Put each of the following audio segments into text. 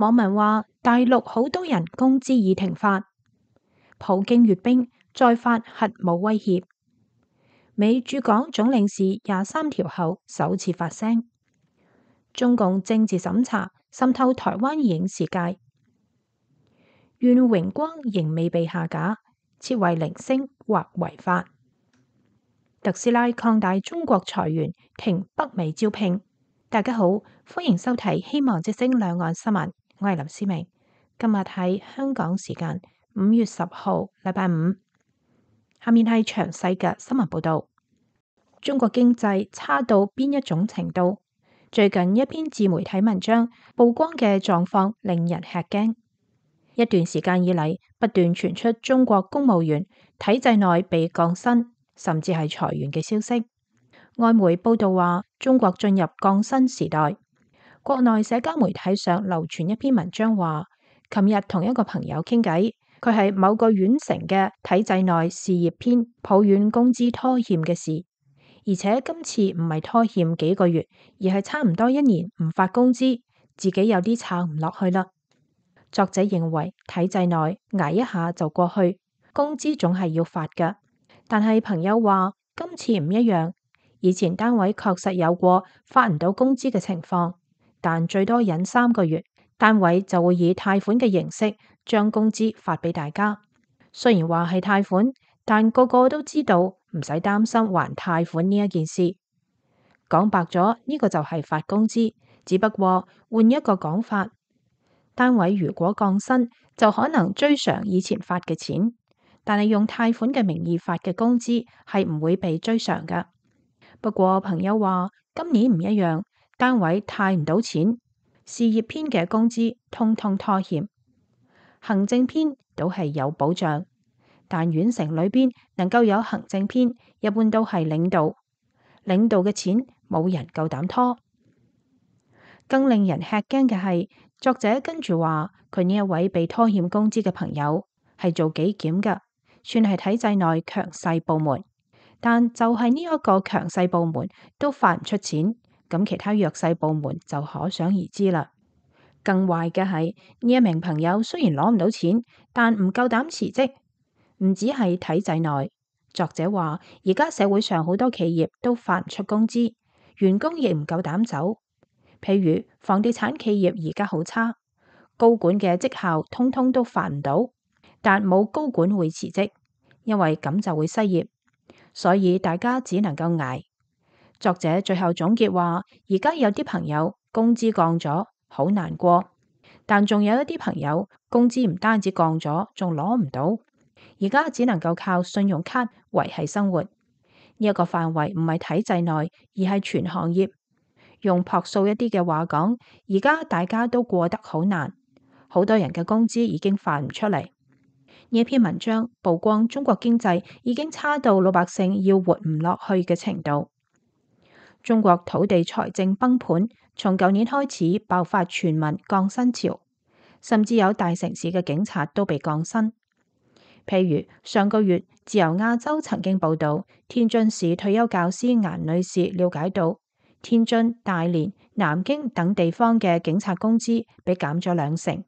網民話大陸好多人工資已停發，普京閱兵再發核武威脅，美駐港總領事23條後首次發聲，中共政治審查滲透台灣影視界，願榮光仍未被下架，設為零星或違法。特斯拉擴大中國裁員，停北美招聘。大家好，歡迎收睇希望之聲兩岸新聞，我係林思明。今日係香港時間5月10號，禮拜五。下面係詳細嘅新聞報道。中國經濟差到邊一種程度？最近一篇自媒體文章曝光嘅狀況令人吃驚。一段時間以嚟，不斷傳出中國公務員體制內被降薪，甚至係裁員嘅消息。外媒報道話，中國進入降薪時代。國內社交媒體上流傳一篇文章話，琴日同一個朋友傾偈，佢係某個縣城嘅體制內事業編，抱怨工資拖欠嘅事，而且今次唔係拖欠幾個月，而係差唔多1年唔發工資，自己有啲撐唔落去啦。作者認為體制內捱一下就過去，工資總係要發㗎。但係朋友話今次唔一樣，以前單位確實有過發唔到工資嘅情況，但最多忍3個月，單位就會以貸款嘅形式將工資發俾大家。雖然話係貸款，但個個都知道唔使擔心還貸款呢一件事。講白咗，呢個就係發工資，只不過換一個講法。單位如果降薪，就可能追償以前發嘅錢，但係用貸款嘅名義發嘅工資係唔會被追償㗎。不過朋友話今年唔一樣，單位貸唔到錢，事業編嘅工資通通拖欠，行政編都係有保障，但縣城裏邊能夠有行政編，一般都係領導嘅錢冇人夠膽拖。更令人吃驚嘅係，作者跟住話佢呢一位被拖欠工資嘅朋友係做紀檢㗎，算係體制內強勢部門，但就係呢一個強勢部門都發唔出錢，咁其他弱勢部門就可想而知啦。更壞嘅係呢一名朋友雖然攞唔到錢，但唔夠膽辭職，唔止係體制內。作者話而家社會上好多企業都發唔出工資，員工亦唔夠膽走。譬如房地產企業而家好差，高管嘅績效通通都發唔到，但冇高管會辭職，因為咁就會失業，所以大家只能夠捱。作者最後總結話，而家有啲朋友工資降咗，好難過，但仲有一啲朋友工資唔單止降咗，仲攞唔到，而家只能夠靠信用卡維繫生活。呢一個範圍唔係體制內，而係全行業。用樸素一啲嘅話講，而家大家都過得好難，好多人嘅工資已經發唔出嚟。呢一篇文章曝光中國經濟已經差到老百姓要活唔落去嘅程度。中國土地財政崩盤，從舊年開始爆發全民降薪潮，甚至有大城市嘅警察都被降薪。譬如上個月自由亞洲曾經報道，天津市退休教師顏女士了解到，天津、大連、南京等地方嘅警察工資被減咗2成。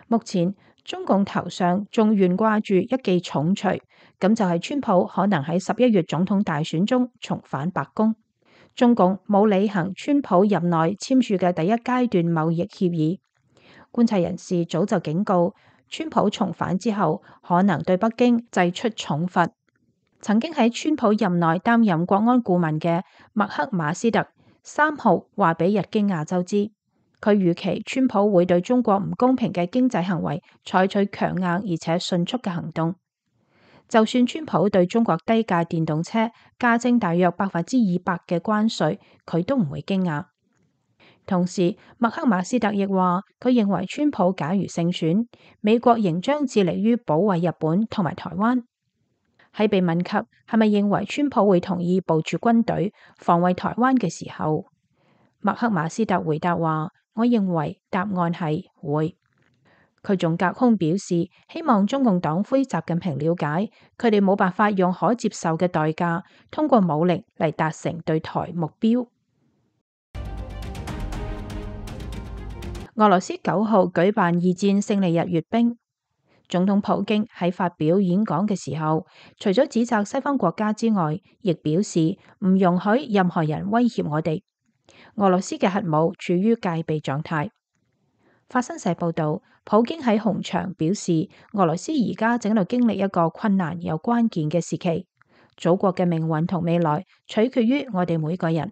目前中共頭上仲懸掛住一記重錘，咁就係川普可能喺11月總統大選中重返白宮。中共冇履行川普任內簽署嘅第一階段貿易協議。觀察人士早就警告，川普重返之後可能對北京祭出重罰。曾經喺川普任內擔任國安顧問嘅麥克馬斯特3號話俾日經亞洲知，佢預期川普會對中國唔公平嘅經濟行為採取強硬而且迅速嘅行動。就算川普對中國低價電動車加徵大約200%嘅關稅，佢都唔會驚訝。同時，麥克馬斯特亦話，佢認為川普假如勝選，美國仍將致力於保衛日本同埋台灣。喺被問及係咪認為川普會同意部署軍隊防衛台灣嘅時候，麥克馬斯特回答話：我認為答案係會。佢仲隔空表示，希望中共黨魁習近平了解，佢哋冇辦法用可接受嘅代價，通過武力嚟達成對台目標。俄羅斯9號舉辦二戰勝利日閱兵，總統普京喺發表演講嘅時候，除咗指責西方國家之外，亦表示唔容許任何人威脅我哋。俄羅斯嘅核武處於戒備狀態。法新社報道，普京喺紅場表示，俄羅斯而家正喺度經歷一個困難又關鍵嘅時期，祖國嘅命運同未來取決於我哋每個人。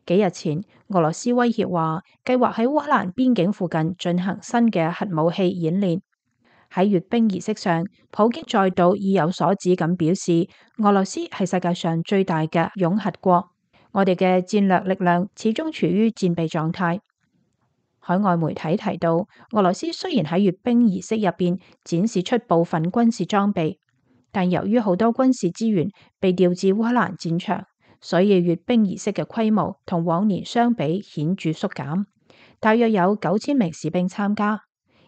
幾日前，俄羅斯威脅話，計劃喺烏克蘭邊境附近進行新嘅核武器演練。喺閱兵儀式上，普京再度意有所指咁表示，俄羅斯係世界上最大嘅擁核國，我哋嘅戰略力量始終處於戰備狀態。海外媒體提到，俄羅斯雖然喺閱兵儀式入邊展示出部分軍事裝備，但由於好多軍事資源被調至烏克蘭戰場，所以閱兵儀式嘅規模同往年相比顯著縮減，大約有9000名士兵參加，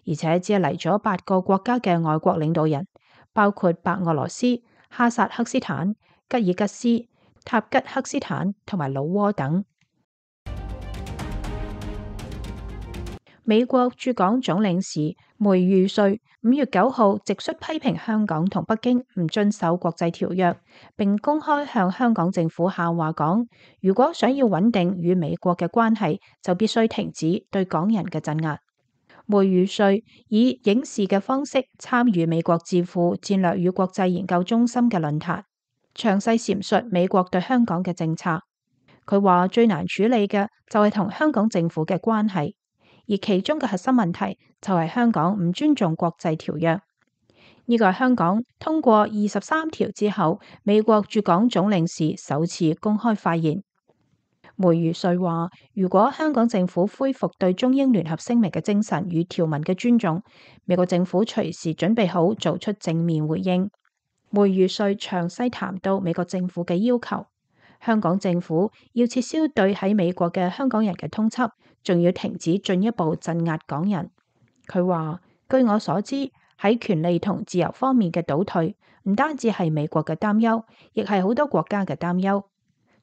而且只係嚟咗8個國家嘅外國領導人，包括白俄羅斯、哈薩克斯坦、吉爾吉斯、塔吉克斯坦同埋老撾等。美國駐港總領事梅儒瑞5月9號直率批評香港同北京唔遵守國際條約，並公開向香港政府下話講，如果想要穩定與美國嘅關係，就必須停止對港人嘅鎮壓。梅儒瑞以影視嘅方式參與美國智庫戰略與國際研究中心嘅論壇，詳細闡述美國對香港嘅政策。佢話最難處理嘅就係同香港政府嘅關係。而其中嘅核心問題就係香港唔尊重國際條約，呢個係香港通過23條之後，美國駐港總領事首次公開發言。梅儒瑞話：如果香港政府恢復對中英聯合聲明嘅精神與條文嘅尊重，美國政府隨時準備好做出正面回應。梅儒瑞詳細談到美國政府嘅要求。香港政府要撤銷對喺美國嘅香港人嘅通緝，仲要停止進一步鎮壓港人。佢話：據我所知，喺權利同自由方面嘅倒退，唔單止係美國嘅擔憂，亦係好多國家嘅擔憂。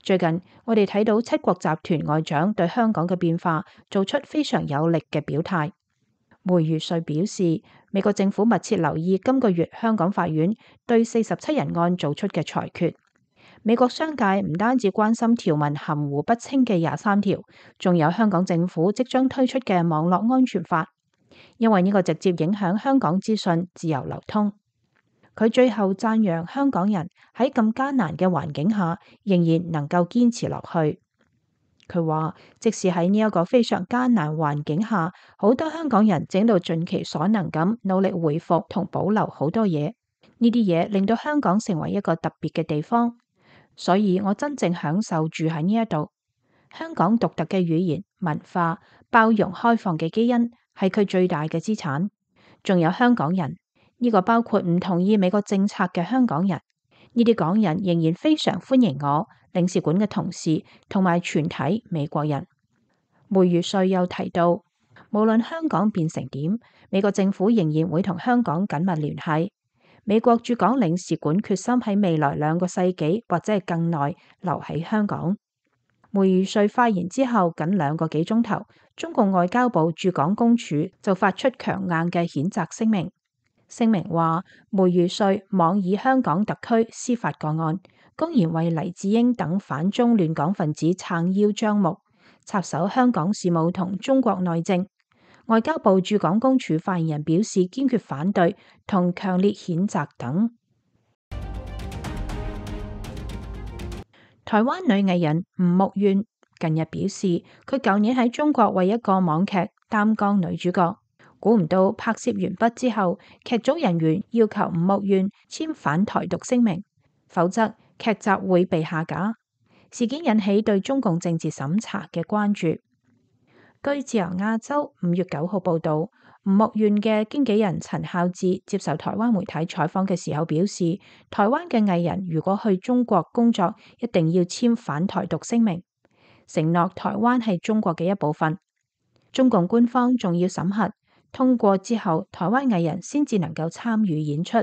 最近我哋睇到7國集團外長對香港嘅變化做出非常有力嘅表態。梅儒瑞表示，美國政府密切留意今個月香港法院對47人案做出嘅裁決。美國商界唔單止關心條文含糊不清嘅23條，仲有香港政府即將推出嘅網絡安全法，因為呢個直接影響香港資訊自由流通。佢最後讚揚香港人喺咁艱難嘅環境下，仍然能夠堅持落去。佢話，即使喺呢一個非常艱難環境下，好多香港人正到盡其所能咁努力恢復同保留好多嘢，呢啲嘢令到香港成為一個特別嘅地方。所以我真正享受住喺呢一度。香港獨特嘅語言、文化、包容開放嘅基因係佢最大嘅資產。仲有香港人，呢個包括唔同意美國政策嘅香港人。呢啲港人仍然非常歡迎我、領事館嘅同事同埋全體美國人。梅儒瑞又提到，無論香港變成點，美國政府仍然會同香港緊密聯繫。美國駐港領事館決心喺未來2個世紀或者係更耐留喺香港。梅儒瑞發言之後僅2個幾鐘頭，中共外交部駐港公署就發出強硬嘅譴責聲明。聲明話，梅儒瑞妄以香港特區司法個案，公然為黎智英等反中亂港分子撐腰張目，插手香港事務同中國內政。外交部駐港公署發言人表示堅決反對同強烈譴責等。台灣女藝人吳木怨近日表示，佢舊年喺中國為一個網劇擔綱女主角，估唔到拍攝完畢之後，劇組人員要求吳木怨簽反台獨聲明，否則劇集會被下架。事件引起對中共政治審查嘅關注。據自由亞洲5月9號報道，吳木怨嘅經紀人陳孝志接受台灣媒體採訪嘅時候表示，台灣嘅藝人如果去中國工作，一定要簽反台獨聲明，承諾台灣係中國嘅一部分。中共官方仲要審核通過之後，台灣藝人先至能夠參與演出。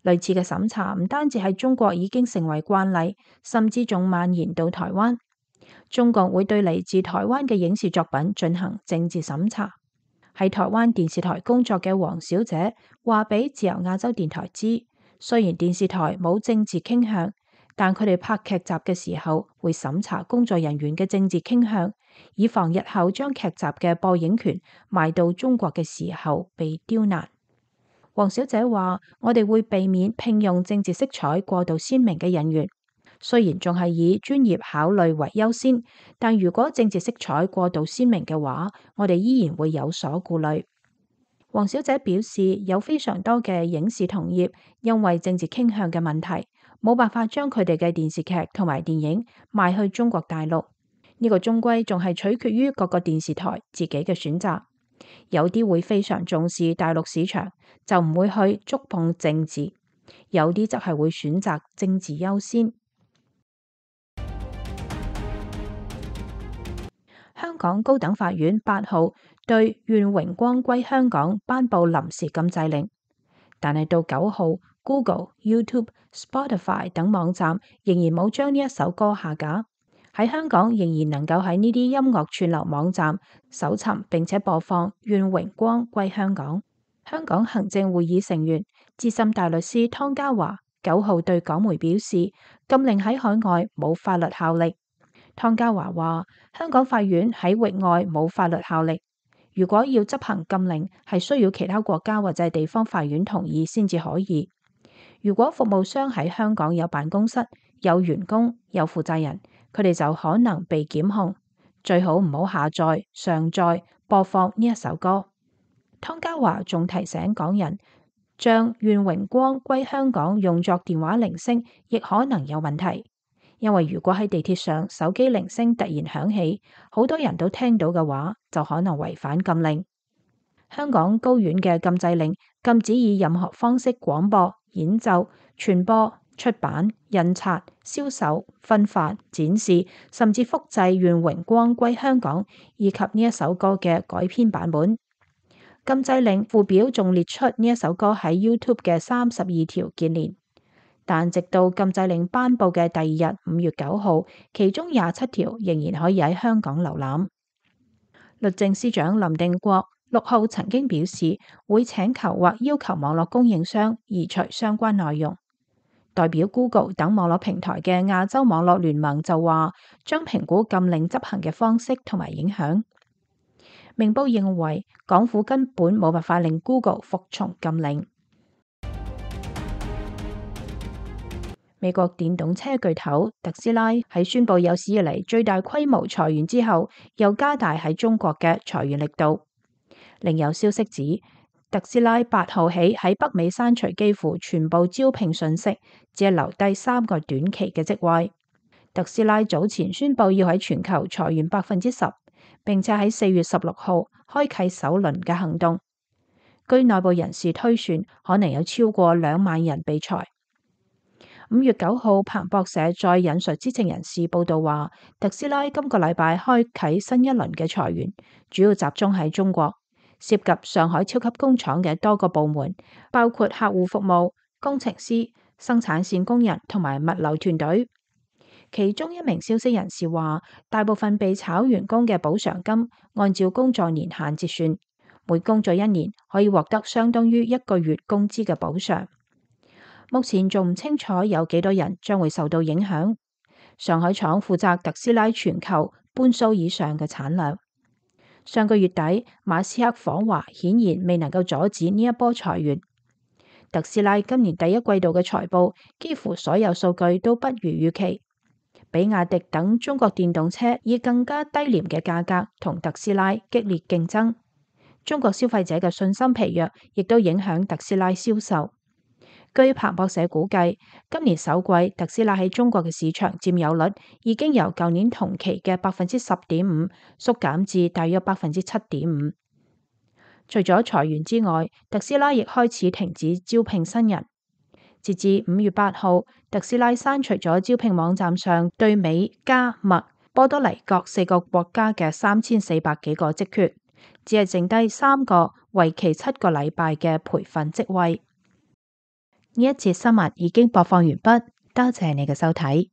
類似嘅審查唔單止喺中國已經成為慣例，甚至仲蔓延到台灣。中共會對嚟自台灣嘅影視作品進行政治審查。喺台灣電視台工作嘅黃小姐話俾自由亞洲電台知，雖然電視台冇政治傾向，但佢哋拍劇集嘅時候會審查工作人員嘅政治傾向，以防日後將劇集嘅播映權賣到中國嘅時候被刁難。黃小姐話：我哋會避免聘用政治色彩過度鮮明嘅人員，雖然仲係以專業考慮為優先，但如果政治色彩過度鮮明嘅話，我哋依然會有所顧慮。黃小姐表示，有非常多嘅影視同業因為政治傾向嘅問題，冇辦法將佢哋嘅電視劇同埋電影賣去中國大陸。呢個終歸仲係取決於各個電視台自己嘅選擇。有啲會非常重視大陸市場，就唔會去觸碰政治；有啲則係會選擇政治優先。香港高等法院8號對願榮光歸香港頒布臨時禁制令，但係到9號 Google、YouTube、Spotify 等網站仍然冇將呢一首歌下架。喺香港仍然能夠喺呢啲音樂串流網站搜尋並且播放《願榮光歸香港》。香港行政會議成員資深大律師湯家驊9號對港媒表示，禁令喺海外冇法律效力。湯家驊話：香港法院喺域外冇法律效力，如果要執行禁令，係需要其他國家或者地方法院同意先至可以。如果服務商喺香港有辦公室、有員工、有負責人，佢哋就可能被檢控。最好唔好下載、上載、播放呢一首歌。湯家驊仲提醒港人，將願榮光歸香港用作電話鈴聲，亦可能有問題。因為如果喺地鐵上手機鈴聲突然響起，好多人都聽到嘅話，就可能違反禁令。香港高院嘅禁制令禁止以任何方式廣播、演奏、傳播、出版、印刷、銷售、分發、展示，甚至複製《願榮光歸香港》以及呢一首歌嘅改編版本。禁制令附表仲列出呢一首歌喺 YouTube 嘅32條鍵連，但直到禁制令頒布嘅第二日5月9號，其中27條仍然可以喺香港瀏覽。律政司長林定國6號曾經表示，會請求或要求網絡供應商移除相關內容。代表 Google 等網絡平台嘅亞洲網絡聯盟就話，將評估禁令執行嘅方式同埋影響。明報認為，港府根本冇辦法令 Google 服從禁令。美國電動車巨頭特斯拉喺宣布有史以嚟最大規模裁員之後，又加大喺中國嘅裁員力度。另有消息指，特斯拉8號起喺北美刪除幾乎全部招聘信息，只係留低3個短期嘅職位。特斯拉早前宣布要喺全球裁員10%，並且喺4月16號開啟首輪嘅行動。據內部人士推算，可能有超過2萬人被裁。5月9號，彭博社再引述知情人士報道話，特斯拉今個禮拜開啟新一輪嘅裁員，主要集中喺中國，涉及上海超級工廠嘅多個部門，包括客戶服務、工程師、生產線工人同埋物流團隊。其中一名消息人士話，大部分被炒員工嘅補償金按照工作年限折算，每工作1年可以獲得相當於1個月工資嘅補償。目前仲唔清楚有幾多人將會受到影響。上海廠負責特斯拉全球半數以上嘅產量。上個月底，馬斯克訪華顯然未能夠阻止呢一波裁員。特斯拉今年第一季度嘅財報幾乎所有數據都不如預期。比亞迪等中國電動車以更加低廉嘅價格同特斯拉激烈競爭。中國消費者嘅信心疲弱，亦都影響特斯拉銷售。據彭博社估計，今年首季特斯拉喺中國嘅市場佔有率已經由舊年同期嘅10.5%縮減至大約7.5%。除咗裁員之外，特斯拉亦開始停止招聘新人。截至5月8號，特斯拉刪除咗招聘網站上對美、加、墨、波多黎各4個國家嘅3400幾個職缺，只係剩低3個為期7個禮拜嘅培訓職位。呢一節新聞已經播放完畢，多謝你嘅收睇。